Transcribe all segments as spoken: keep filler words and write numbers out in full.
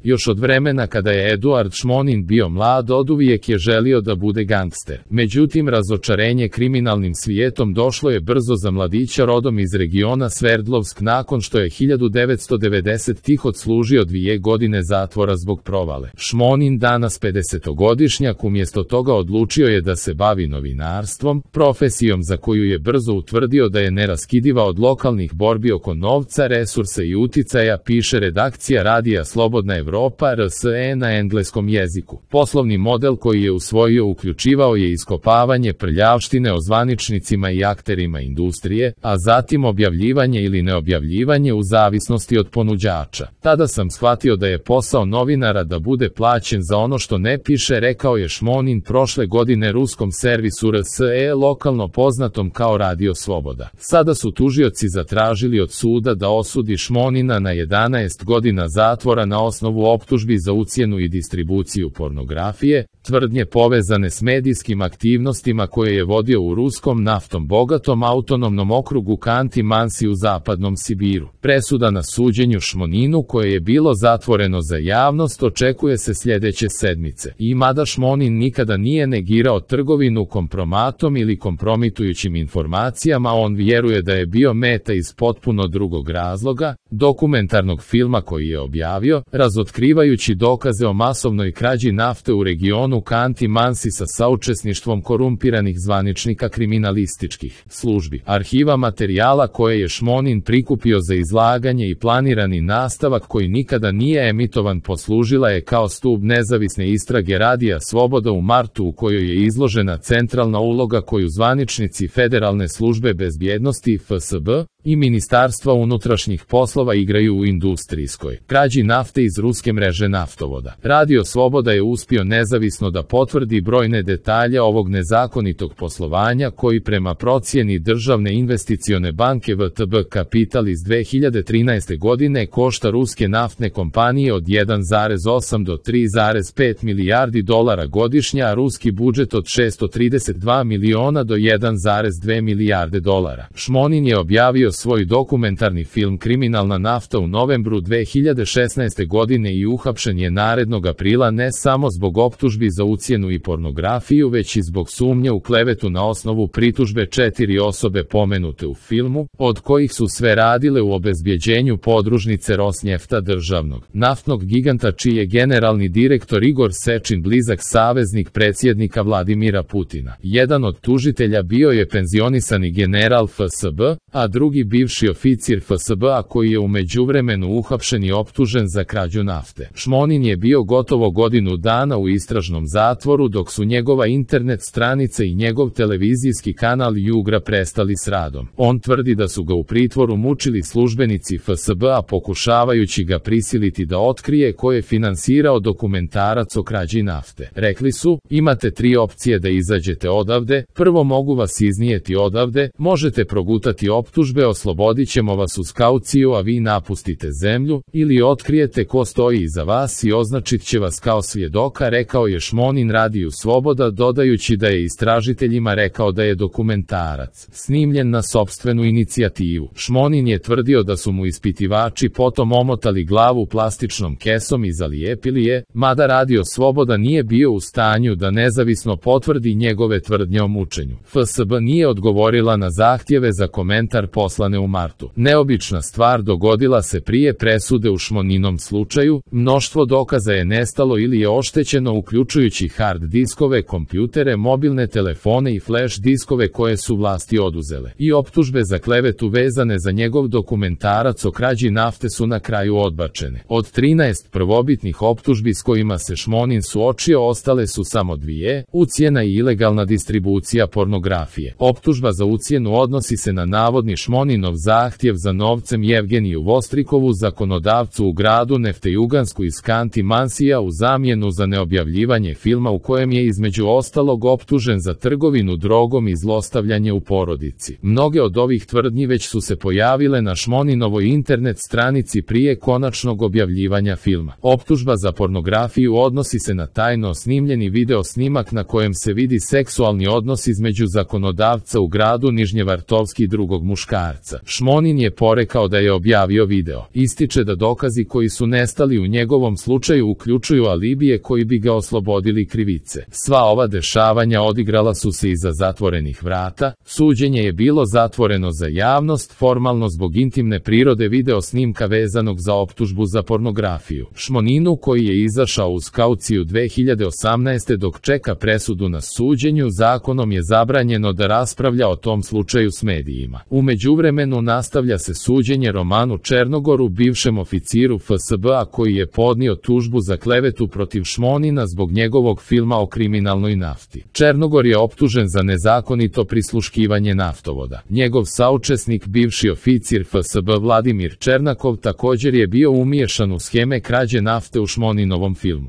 Još od vremena kada je Eduard Šmonin bio mlad, oduvijek je želio da bude gangster. Međutim, razočarenje kriminalnim svijetom došlo je brzo za mladića rodom iz regiona Sverdlovsk nakon što je hiljadu devetsto devedesete. odslužio dvije godine zatvora zbog provale. Šmonin, danas pedesetogodišnjak, umjesto toga odlučio je da se bavi novinarstvom, profesijom za koju je brzo utvrdio da je neraskidiva od lokalnih borbi oko novca, resursa i uticaja, piše redakcija radija Slobodna Evropa R S E na engleskom jeziku. Poslovni model koji je usvojio uključivao je iskopavanje prljavštine o zvaničnicima i akterima industrije, a zatim objavljivanje ili neobjavljivanje u zavisnosti od ponuđača. Tada sam shvatio da je posao novinara da bude plaćen za ono što ne piše, rekao je Šmonin prošle godine ruskom servisu R S E, lokalno poznatom kao Radio Sloboda. Sada su tužioci zatražili od suda da osudi Šmonina na jedanaest godina zatvora na osnovu optužbi za ucjenu i distribuciju pornografije, tvrdnje povezane s medijskim aktivnostima koje je vodio u ruskom naftom bogatom autonomnom okrugu Kanti-Mansi u zapadnom Sibiru. Presuda na suđenju Šmoninu, koje je bilo zatvoreno za javnost, očekuje se sljedeće sedmice. I mada Šmonin nikada nije negirao trgovinu kompromatom ili kompromitujućim informacijama, on vjeruje da je bio meta iz potpuno drugog razloga, dokumentarnog filma koji je objavio, razotkrivajući dokaze o masovnoj krađi nafte u regionu Kanti-Mansi sa saučesništvom korumpiranih zvaničnika kriminalističkih službi. Arhiva materijala koje je Šmonin prikupio za izlaganje i planirani nastavak koji nikada nije emitovan poslužila je kao stub nezavisne istrage Radija Sloboda u martu, u kojoj je izložena centralna uloga koju zvaničnici Federalne službe bezbjednosti F S B i Ministarstva unutrašnjih poslova igraju u industrijskoj krađi nafte iz ruske mreže naftovoda. Radio Sloboda je uspio nezavisno da potvrdi brojne detalje ovog nezakonitog poslovanja koji prema procjeni Državne investicione banke V T B Kapital iz dve hiljade trinaeste. godine košta ruske naftne kompanije od jedan zarez osam do tri zarez pet milijardi dolara godišnje, a ruski budžet od šesto trideset dva miliona do jedan zarez dve milijarde dolara. Šmonin je objavio svoj dokumentarni film Kriminalna nafta u novembru dve hiljade šesnaeste. godine i uhapšen je narednog aprila ne samo zbog optužbi za ucjenu i pornografiju, već i zbog sumnje u klevetu na osnovu pritužbe četiri osobe pomenute u filmu, od kojih su sve radile u obezbjeđenju podružnice Rosnjefta, državnog naftnog giganta čiji je generalni direktor Igor Sečin blizak saveznik predsjednika Vladimira Putina. Jedan od tužitelja bio je penzionisani general F S B, a drugi bivši oficir F S B-a koji je u međuvremenu uhapšen i optužen za krađu nafte. Šmonin je bio gotovo godinu dana u istražnom zatvoru dok su njegova internet stranica i njegov televizijski kanal Jugra prestali s radom. On tvrdi da su ga u pritvoru mučili službenici F S B-a pokušavajući ga prisiliti da otkrije ko je finansirao dokumentarac o krađi nafte. Rekli su, imate tri opcije da izađete odavde, prvo mogu vas iznijeti odavde, možete progutati optužbe, oslobodit ćemo vas uz kauciju a vi napustite zemlju, ili otkrijete ko stoji iza vas i označit će vas kao svjedoka, rekao je Šmonin Radiju Sloboda, dodajući da je istražiteljima rekao da je dokumentarac snimljen na sopstvenu inicijativu. Šmonin je tvrdio da su mu ispitivači potom omotali glavu plastičnom kesom i zalijepili je, mada Radio Sloboda nije bio u stanju da nezavisno potvrdi njegove tvrdnje o mučenju. F S B nije odgovorila na zahtjeve za komentar poslane u martu. Neobična stvar dogodila se prije presude u Šmoninom slučaju, mnoštvo dokaza je nestalo ili je oštećeno uključujući hard diskove, kompjutere, mobilne telefone i flash diskove koje su vlasti oduzele. I optužbe za klevetu vezane za njegov dokumentarac o krađi nafte su na kraju odbačene. Od trinaest prvobitnih optužbi s kojima se Šmonin suočio ostale su samo dvije, ucjena i ilegalna distribucija pornografije. Optužba za ucjenu odnosi se na navodni Šmoninov zahtjev za novcem Jevgeniju Vostrikovu, zakonodavcu u gradu Neftejugansku iz Kanti-Mansija, u zamjenu za neobjavljivanje filma u kojem je između ostalog optužen za trgovinu drogom i zlostavljanje u porodici. Mnoge od ovih tvrdnji već su se pojavile na Šmoninovoj internet stranici prije konačnog objavljivanja filma. Optužba za pornografiju odnosi se na tajno snimljeni video snimak na kojem se vidi seksualni odnos između zakonodavca u gradu Nižnjevartovski i drugog muškarca. marca. Šmonin je porekao da je objavio video. Ističe da dokazi koji su nestali u njegovom slučaju uključuju alibije koji bi ga oslobodili krivice. Sva ova dešavanja odigrala su se iza zatvorenih vrata, suđenje je bilo zatvoreno za javnost, formalno zbog intimne prirode video snimka vezanog za optužbu za pornografiju. Šmoninu, koji je izašao uz kauciju dve hiljade osamnaeste dok čeka presudu na suđenju, zakonom je zabranjeno da raspravlja o tom slučaju s medijima. U međuvremenu nastavlja se suđenje Romanu Černogoru, bivšem oficiru F S B-a koji je podnio tužbu za klevetu protiv Šmonina zbog njegovog filma o kriminalnoj nafti. Černogor je optužen za nezakonito prisluškivanje naftovoda. Njegov saučesnik, bivši oficir F S B Vladimir Černakov, također je bio umiješan u sheme krađe nafte u Šmoninovom filmu.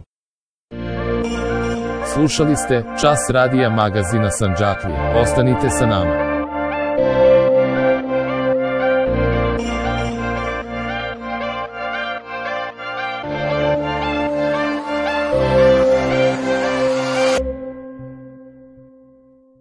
Slušali ste Čas radija magazina Sandžaklija. Ostanite sa nama.